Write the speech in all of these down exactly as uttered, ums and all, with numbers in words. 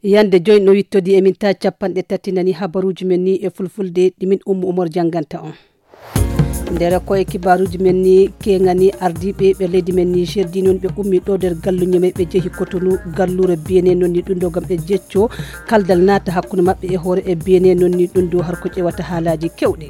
Yande joy no wittodi e min ta capanɗe tati nani habaruji men ni e fulfulde ɗi min Ummu Umar janganta on. Nder ko e kibaruji men ni kengani ardiɓe ɓe leydi men Niger di non ɓe ummi ɗo nder gallu Niamey ɓe jehi Cotonou gallure Benin non ni ɗum ɗo gam ɓe jecco kaldal naata hakkunde maɓɓe e hoore e Benin non ni ɗum ɗo har ko ƴewata haalaji kewɗi.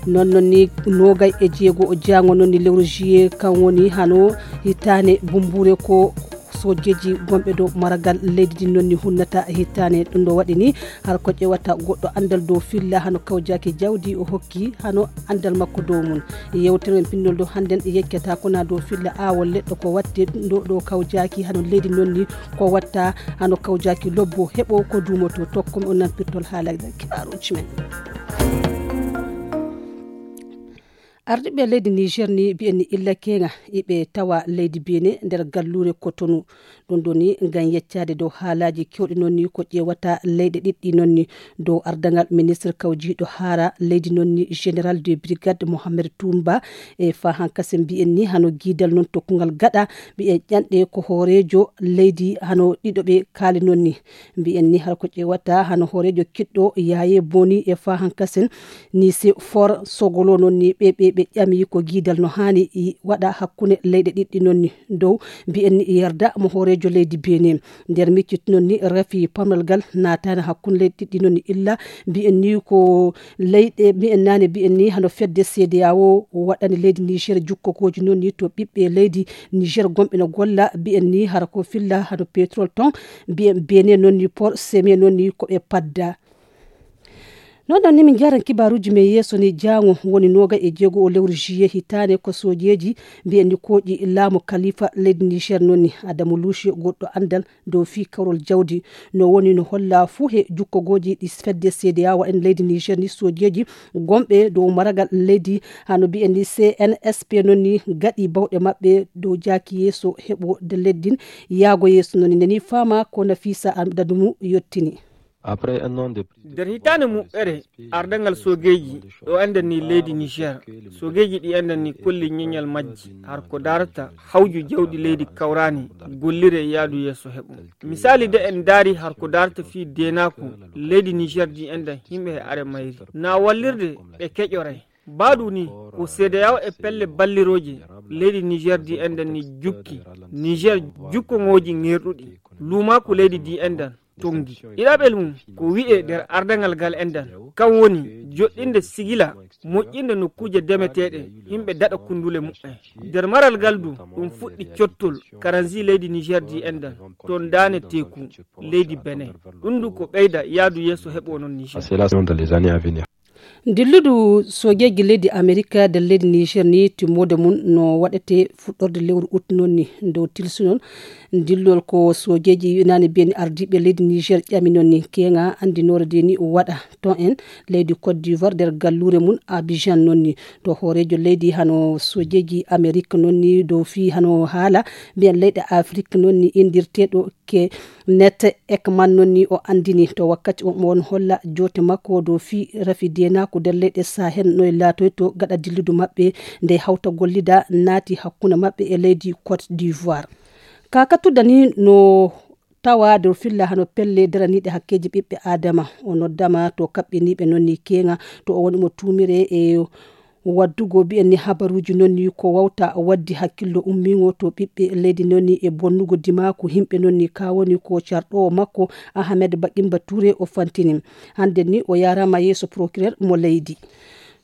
Non non ni nogay e jeego o jango non ni lewru juillet kan woni hano hitane bumbure ko sojeji gonɓe dow maragal leydi din non ni hunnata hittane ɗum ɗo waɗi ni har ko ƴewata goɗɗo andal dow filla hano kawjaki jawdi o hokki hano andal makko dow mum. Yewtere men pinnol dow hannden yeccata kona dow filla awol leɗɗo ko watte ɗum ɗo ɗo kawjaki hano leydi non ni ko watta hano kawjaki lobbo heɓo ko duumoto tokko men on nan pirtol haala kibaruji men. Ardiɓe leydi Niger ni mbiyen ni illa kenga iɓe tawa leydi Benin nder gallure Cotonou. Ɗum ɗo ni ngam yeccaade dow haalaaji kewɗi non ni ko ƴeewata leyɗe ɗiɗɗi non ni dow ardaŋal ministre kawjiiɗo haara leydi non ni général de brigade Mohamed Toumba e fa hankasen mbiyen ni hano giidal non tokkungal gaɗa mbiyen ƴanɗe ko hooreejo leydi hano ɗiɗo ɓe kaali non ni. Mbiyen ni har ko ƴeewata hano hooreejo kiɗɗo Yaaye Boni e fa hankasen ni se for sogolo non ni ɓe ɓe ɓe ƴami ko giidal no haani waɗa hakkunde leyɗe ɗiɗɗi non ni dow mbiyen ni yarda mo hooreejo leydi Benin. Nder miccit non ni rafi pamral gal naatani hakkunde leyɗe ɗiɗɗi non ni illa mbiyen ni ko leyɗe mbiyen nane mbiyen ni hano fedde C D A O waɗani leydi Niger jukkokoji non ni to ɓiɓɓe leydi Niger gonɓe no golla mbiyen ni hara ko filla hano pétrole ton mbiyen Benin non ni port seme non ni ko ɓe padda. Non non ni min jaran kibaruji men yeeso ni jango woni noga e jeego o lewru juillet hitane ko sojeji mbiyen ni koƴi laamu kalifa leydi Niger non ni Adamu Lushi goɗɗo andal dow fi kawrol jawdi no woni no holla fuu he jukkogoji ɗi fedde C D A O en leydi Niger ni sojeji gonɓe dow maragal leydi hano mbiyen ni C N S P non ni gaɗi bawɗe maɓɓe dow jaaki yeeso heɓo de leddin yaago yeeso non ni nani fama ko Nafisa Adamu yottini. Après un an de nder hitaande muɓɓere ardangal sogeeji ɗo enɗen ni leydi Niger, sogeeji ɗi enɗen ni kolli ñeñal majji har ko darata hawju jawdi leydi kawrani gollire yaadu yeeso heɓo. Misali de en daari har ko darata fii deenaaku leydi Niger di enɗen yimɓe he are mayri na wallirde ɓe keƴoray. Baɗu ni ko C D A O e pelle ballirooje leydi Niger di enɗen ni jukki Niger jukkoŋooji ŋerɗuɗi luumaaku leydi di enɗen tongi. Ɗiɗaɓel mum ko wi'e nder ardangal ngal enɗen kan woni joɗɗinde sigila moƴƴinde nokkuuje demeteeɗe yimɓe daɗa kundule muɓɓen. Nder maral ngal du ɗum fuɗɗi cottol karanzi leydi Niger di enɗen ton daane teeku leydi Benin. Ɗum du ko ɓeyda yaadu yeeso heɓo non Niger. Dilludu sogeeji leydi Amerika nder leydi Niger ni timmoode mum no waɗete fuɗɗorde lewru ut non ni dow tilsunol. Dillol ko sogeeji nane mbiyen ardiiɓe leydi Niger ƴami non ni keŋa anndinoore de ni waɗa ton en leydi Côte d'Ivoire nder galluure mum Abidjan non ni to hooreejo leydi hano sogeeji Amerika non ni dow fii hano haala mbiyen leyɗe Afrik non ni inndirteeɗo Kenneth Ekman non ni o anndini to wakkati on mo won holla joote makko dow fii rafi deenaaku nder leyɗe Sahel no e laatoyto gaɗa dilludu maɓɓe nde hawta gollida naati hakkunde maɓɓe e leydi Côte d'Ivoire. Ka kattuda ni no tawa dow filla hano pelle daraniiɗe hakkeeji ɓiɓɓe Aadama o noddama to kaɓɓiniiɓe non ni keŋa to o woni mo tuumire e waddugo mbiyen ni habaruuji non ni ko wawta waddi hakkillo ummiŋo to ɓiɓɓe leydi non ni e bonnugo dimaaku yimɓe non ni ka woni ko carɗoowo makko Ahamed Bakimba Ture o fantini. Hannden ni o yaaraama yeeso procureur mo leydi.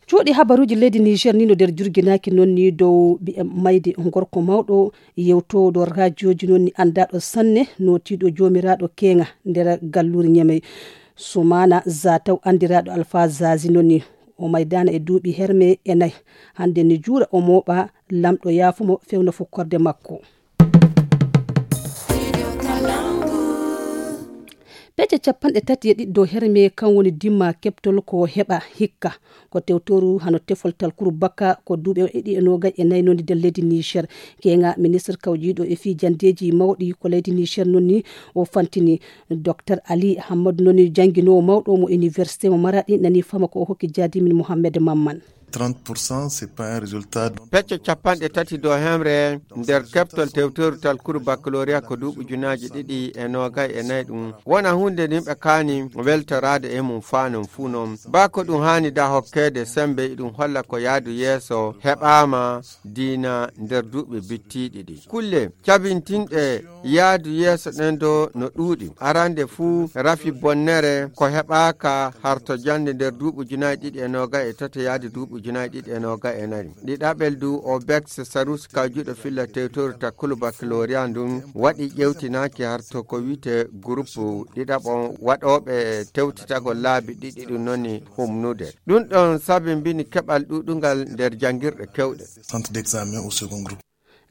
Cuuɗi habaruuji leydi Niger ni no nder jurginaaki non ni dow mbiyen mayde gorko mawɗo yewtooɗo rajooji non ni anndaaɗo sanne nootiiɗo joomiraaɗo keeŋa nder galluure Ñamey. Sumaana Zataw anndiraaɗo Alfa Zazi non ni o maydaana e duuɓi herme e nay. Hannde ni juura o mooɓa lamɗo yaafumo fewna fukkorde makko. Peje capanɗe tati e ɗiɗi dow herme kan woni dimma keɓtol ko heɓa hikka ko tewtoru hano tefol talkuru bakka ko duuɓe ɗiɗi e noogay e nayi nondi nder leydi Niger. Keeŋa ministre kawjiiɗo e fii jandeeji mawɗi ko leydi Niger nonni o fantini. Docteur Ali Hammadu noni jannginoowo mawɗo mo université mo Maraɗi nani fama ko o hokki jaadimin Mohammed Mamman. Trente pour cent, c'est pas un résultat. Pecce capanɗe tati dow hemre nder keɓtol tewtorutal kuru baccalauréat ko duuɓi ujunaaji ɗiɗi e noogay e nayi ɗum wona huunde nde yimɓe kaani weltoraade e mum faa non fuu non. Baa ko ɗum haani da hokkeede sembe, iɗum holla ko yaadu yeeso heɓaama diina nder duuɓi bittiiɗi ɗi. Kulle cabintinɗe yaadu yeeso ɗen do no ɗuuɗi. Arande fuu rafi bonnere ko heɓaaka harto jannde nder duuɓi ujunaaji ɗiɗi e noogay e tati yaade duuɓi ujunaaji ɗiɗi e noogay e nayi. Ɗiɗaɓel du o Bex Sarus ka juuɗo filla tewtoru takkulu baccalauréat ndun waɗi ƴewtinaaki harto ko wi'ete groupe ɗiɗaɓo waɗooɓe tewtitagol laabi ɗiɗi ɗum noni humnude. Ɗum ɗon sabimbini keɓal ɗuuɗungal nder janngirɗe kewɗe. Centre d'examen au second groupe.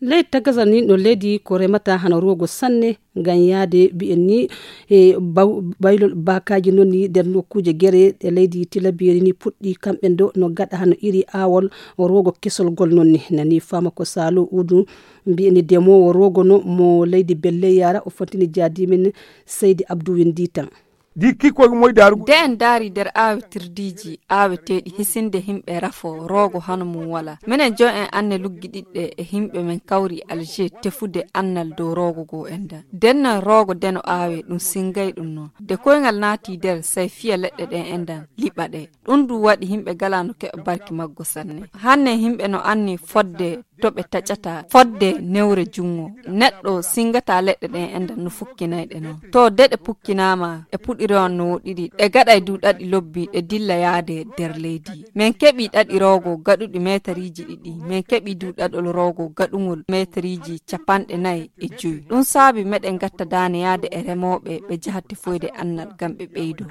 Leydi Tagazal ni no leydi ko remata hano rogo sanne ngam yaade mbi'en ni e baw-, baylol baakaaji noon ni nder nokkuuje gere e leydi Tilaberi ni puɗɗi kamɓe ndo no gaɗa hano iri aawol rogo kesol gol noon ni. Nani fama ko Salo Udu mbi'en ni demoowo rogo no mo leydi Belle Yara o fontini jaadimin Seydi Abdou Winditan. Di kikkoy moy daarugo. De en daari nder aawetirdiiji aaweteeɗi hisinde himɓe rafo roogo hano mum wala. Minen jo en anne luggiɗiɗɗe e himɓe men kawri Alger tefude annal dow roogo goo endan. Dennan roogo deno aawe ɗum singay ɗum no. De koyngal naati nder say fiya leɗɗe ɗen endan liɓa ɗe. Ɗum du waɗi himɓe gala no keɓa barki maggo sanne. Hanne himɓe no anni fodde to ɓe taƴata fodde newre jungo. Neɗɗo singata leɗɗe ɗen endan no fukkinay ɗe non. To de ɗe pukkinaama, e puɗiri on no woɗɗiri, ɗe gaɗay du ɗaɗi lobbi, ɗe dilla yaade nder leydi. Min keɓi ɗaɗi roogo gaɗuɗi meetariiji ɗiɗi. Min keɓi du ɗaɗol roogo gaɗungol meetariiji capanɗe nayi e jowi. Ɗum saabi meɗen gatta daane yaade e remooɓe ɓe jaha tefoyde annal ngam ɓe ɓeydo.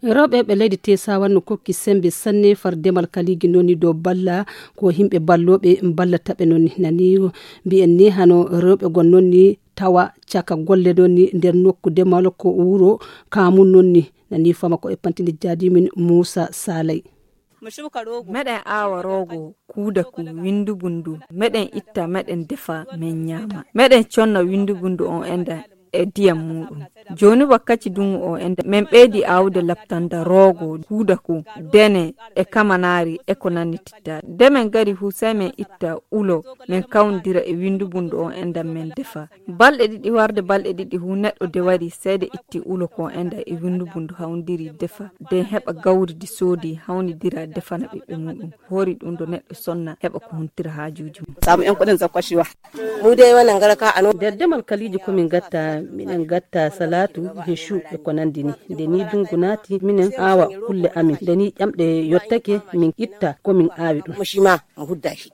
Rewɓe ɓe leydi Tesawa no kokki sembe sanne far demal kaligi noni dow balla ko himɓe balloɓe ballata ɓe noni. Nani mbi'en ni hano rewɓe gon noni tawa caka golle noni nder nokku demal ko wuro Kamun noni. Nani fama ko e pantini jaadimin Musa Salay. Meɗen aawa roogo, kuuda ku, windu bundu. Meɗen itta, meɗen defa, men ñaama. Meɗen conna windu bundu on enda e diyam muɗum. Jooni wakkaci dungu o enda, men ɓeydi aawude laptanda roogo, kuuda ku, dene e kamanaari e ko nannititta. De men gari hu, sey men itta ulo, men kawndira e windu bundu on enda men defa. Balɗe ɗiɗi warde balɗe ɗiɗi hu neɗɗo de wari seede itti ulo ko enda e windu bundu hawndiri defa. De heɓa gawri di soodi hawnidira defana ɓiɓɓe muɗum. Hori ɗum do neɗɗo sonna heɓa ko huntira haajuuji mum. Samu en ko ɗen zakko ciwa. Mu de wona ngara ka ano. Nder demal kaliji ko min gatta, minen gatta salatu, hechu e ko nandi ni. Nde ni dungu naati, minen aawa kulle amin. Nde ni ƴamɗe yottake, min itta ko min aawi ɗum. Mo shima, mo hudda shi.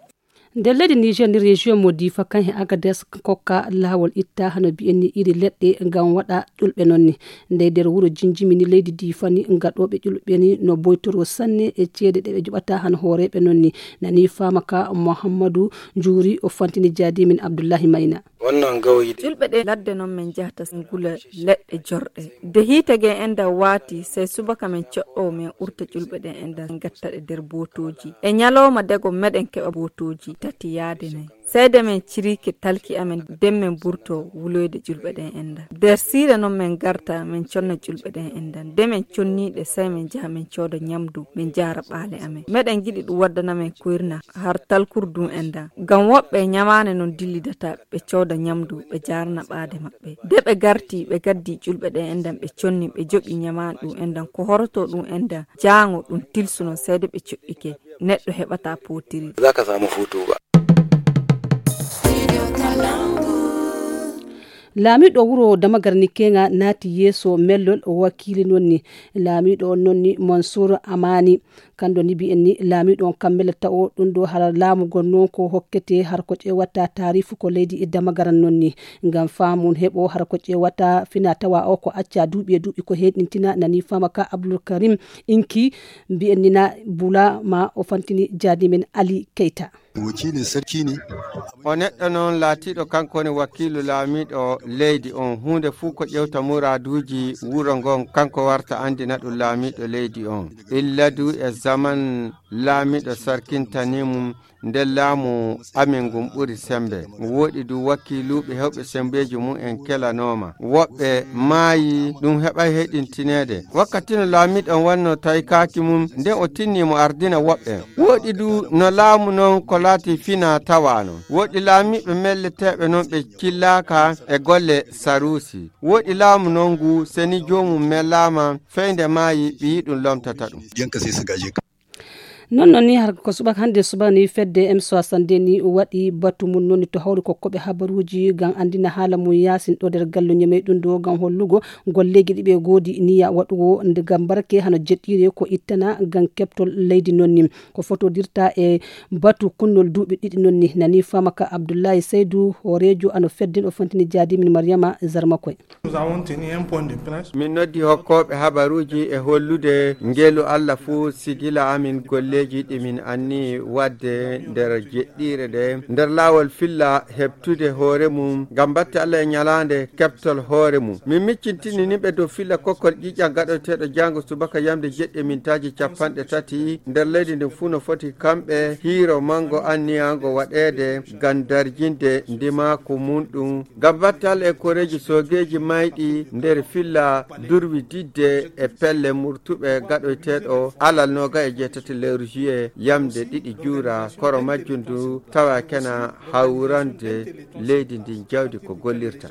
Nder leydi Niger ni, région mo Difa kan he Agadez kokka laawol itta hano mbi'en ni iri leɗɗe ngam waɗa ƴulɓe noon ni. Ndey nder wuro Jinjimi ni leydi Difa ni, gaɗooɓe ƴulɓe ni no boytoro sanne e ceede ɗe ɓe joɓata hano hooreeɓe noon ni. Nani faama ka Muhammadu Juuri o fantini jaadimin Abdullahi Mayna. Wonno gawyi de. Ƴulɓe ɗe ladde noon min njahata ngula leɗɗe jorɗe. De hiite ge enda waati, sey subaka min coɗɗo min urta ƴulɓe ɗen enda gatta ɗe nder bootooji. E ñalawma dego meɗen keɓa bootooji tati yaade nayi. Sey de min cirike talki amen den min burto wuloyde ƴulɓe ɗen enda. Nder siire noon min garta min conna ƴulɓe ɗen enda. De min conniiɗe sey min njaha min cooda ñamdu min jaara ɓaale amen. Meɗen giɗi ɗum waddana min koyrna har talkur dun enda. Ngam woɓɓe ñamaane noon dillidata ɓe cooda ñamdu ɓe jaarana ɓaade maɓɓe. De ɓe garti ɓe gaddi ƴulɓe ɗen endan ɓe conni ɓe joɓi ñamaane ɗum endan ko horoto ɗum endan jaango ɗum tilsuno sey de ɓe coɗɗike. Neɗɗo heɓata pootiri. Za ka samu hutu ba. Laamiiɗo wuro Damagar Nikenga naati yeeso mellol wakiili noon ni. Laamiiɗo on noon ni Mansour Amani. Kanɗo ni mbi'en ni laamiiɗo on kammela tawo ɗum ɗo hara laamu gon noon ko hokkete har ko ƴeewata taarifu ko leydi e Damagaran noon ni. Ngam faamun heɓo har ko ƴeewata fina tawa o ko acca duuɓi e duuɓi ko heɗintina nani faama ka Abdul Karim Inki mbi'en ni na bula ma o fantini jaadimen Ali Keita. Wakiilin sarki ne. O neɗɗo noon laatiiɗo kanko woni wakiilu laamiiɗo leydi on. Huunde fuu ko ƴewta muraaduuji wuro ngon, kanko warta anndina ɗum laamiiɗo leydi on. Illa du e Aman laamiɗo sarkintanii mum, nden laamu amin ngun ɓuri sembe. Woɗi du wakiiluuɓe hewɓe sembeeji mum en kelanooma. Woɓɓe maayi, ɗum heɓay heɗintineede. Wakkati no laamiɗo on wannoo taykaaki mum, nden o tinni mo ardina woɓɓe. Woɗi du no laamu non ko laati fina tawaano. Woɗi laamiiɓe melleteeɓe non ɓe cillaaka e golle saruusi. Woɗi laamu non ngu seni joomum melaama, fey nde maayi ɓiyi ɗum lomtata ɗum. Non non ni har ko subaka hannde subaka ni fedde M soixante-deux ni waɗi batu mum noni to hawri ko koɓe habaruuji ngam anndina haala mum yaasin ɗo nder gallo ñamey ɗum ɗo ngam hollugo golleeji ɗi ɓe goodi niya waɗugo nde ngam barke hano jeɗɗiire ko ittana ngam keɓtol leydi non ni. Ko fotodirta e batu kunnol duuɓi ɗiɗi non ni nani famaka Abdullahi Saydu hooreejo ano fedden o fantini jaadi min Maryama Zarmakoy. Min noddi hokkooɓe habaruuji e hollude ngelu Allah fuu sigila amin golleeji ɗi min anni waɗde nder jeɗɗiire nde nder laawol filla heɓtude hoore mum ngam batte Allah e ñalaande keɓtol hoore mum. Min miccintini nimɓe dow filla kokkol ƴiƴƴam gaɗoteeɗo jaango subaka yamde jeɗɗi e mintaaji capanɗe tati nder leydi ndin fuu no foti kamɓe hiiro manngo anniyaango waɗeede ngam darjinde ndimaaku mum ɗum. Ngam battal e koreeji soogeeji mayɗi nder filla durwi didde e pelle murtuɓe gaɗoyteeɗo alal nooga e jeetati lewru juillet yamde ɗiɗi juura koro majjum ndu tawa kena hawrande leydi ndin jawdi ko gollirta.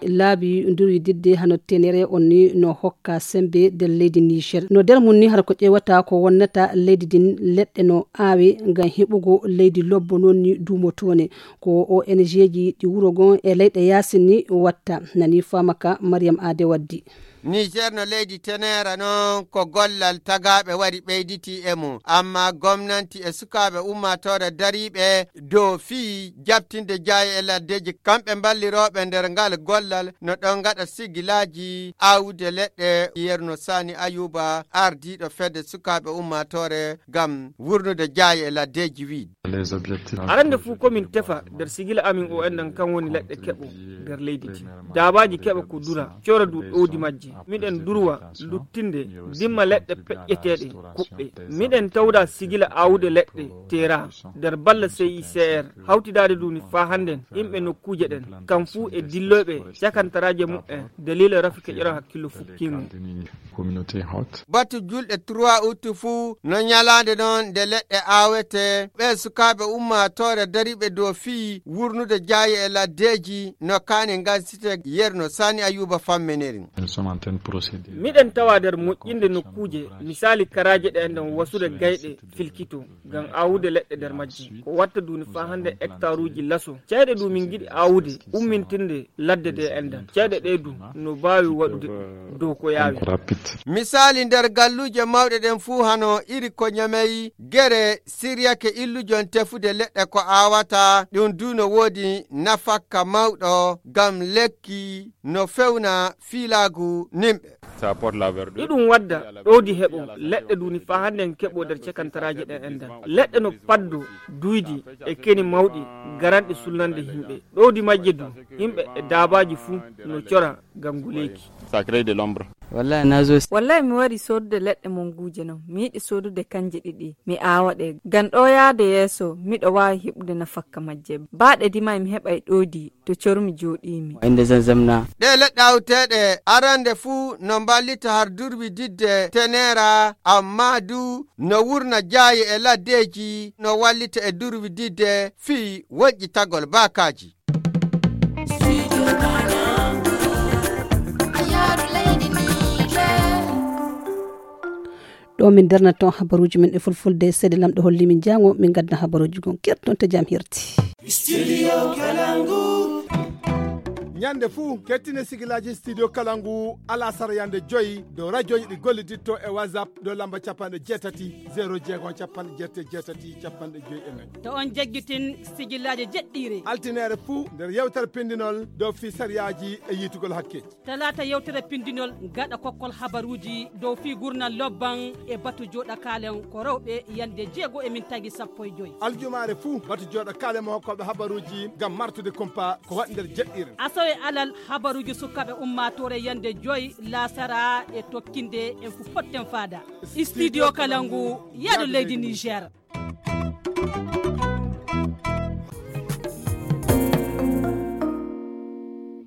Laabi ndurwi didde hano tenere on ni no hokka sembe nder leydi Niger. No nder mum ni hara ko ƴeewata ko wonnata leydi din leɗɗe no aawe ngam heɓugo leydi lobbo non ni duumotoone. Ko O N G ji ɗi wuro gon e leyɗe yaasin ni watta. Nani famaka Mariam Ade waddi. Niger no leydi tenera non ko gollal tagaaɓe wari ɓeyditi e mum, amma gomnanti e sukaaɓe ummaatoore dariiɓe dow fii jaɓtinde jaaye e laddeeji kamɓe mballirooɓe nder ngal gollal no ɗon ngaɗa sigilaaji aawude leɗɗe yerno Sani Ayuba ardiiɗo fedde sukaaɓe ummaatoore ngam wurnude jaaye e laddeeji wii. Arande fuu ko min tefa nder sigila amin o enɗan kan woni leɗɗe keɓo nder leydi ndi. Daabaaji keɓa ko dura cora du ɗowdi majje. Miɗen durwa luttinde dimma leɗɗe peƴƴeteeɗe kuɓɓe. Miɗen tawda sigila aawude leɗɗe teera nder balla C I C R hawtidaade duni faa hannden yimɓe nokkuuje ɗen kam fuu e dilloyɓe cakantaraaje muɓɓen daliila rafi keƴora hakkillo fukkiingo. Batu julɗe trois août fuu no ñalaande non nde leɗɗe aawete. Ɓee sukaaɓe ummaatoore dariiɓe dow fii wurnude jaaye e laddeeji no kaani ngansite yerno Sani Ayuba fammeneri. Miɗen tawa nder moƴƴinde nokkuuje misaali karaaje ɗe enɗan wasude gayɗe filkito ngam aawude leɗɗe nder majje ko watta duni faa hannde hectaruuji laso cayɗe ɗum min ngiɗi aawude ummintinde ladde de enɗan cayɗe ɗe du no baawi waɗude ɗum dow ko yaawi. Misaali nder galluuje mawɗe ɗen fuu hano iri ko ñamey gere siryake illujon tefude leɗɗe ko aawata ɗum du no woodi nafakka mawɗo ngam lekki no fewna fiilaagu nimɓe. Iɗum wadda ɗowdi heɓo leɗɗe duni faa hannden keɓo nder cakantaraaje ɗen enɗan leɗɗe no paddo duydi e keni mawɗi garanɗi sulnande yimɓe ɗowdi majje du yimɓe e daabaaji fuu no cora ngam nguleeki. Wallahi mi wari sodude leɗɗe monguuje non mi yiɗi sodude kanje ɗiɗi mi aawa ɗe ngam ɗo yaade yeeso miɗo waawi heɓude nafakka majje baaɗe dima mi heɓay ɗowdi to cormi jooɗiimi. Ɗe leɗɗe awteeɗe arande fuu no mballita har durwi didde tenera amma du no wurna jaaye e laddeeji no wallita e durwi didde fii woƴƴitagol baakaaji. Ɗo min darnata on habaruuji men e fulfulde seeɗa lamɗo holli min jaango min gadda habaruuji gon kerton to jam hirti. Studio Kalangu. Ñande fuu, kettine sigilaaji Studio Kalangu alasara yande joyi dow rajoji ɗi golliditto e WhatsApp dow lamba capanɗe jeetati, zero jeego, capanɗe jeetati, jeetati, capanɗe joyi e nayi. To on jaggitin sigilaaji jeɗɗiire. Altineere fuu nder yewtere pindinol dow fii sariyaaji e yiitugol hakke. Talaata yewtere pindinol gaɗa kokkol habaruuji dow fii gurnal lobban e batu jooɗa kaalen ko rewɓe yande jeego e min tagi sappo e joyi. Aljumaare fuu batu jooɗa kaalen mo hokkooɓe habaruuji ngam martude kumpa ko waɗi nder jeɗɗiire. Asawe alal habaruuji sukaaɓe ummaatoore yande joyi laasara e tokkinde en fu potten faada. Studio Kalangu, yaadu leydi Niger.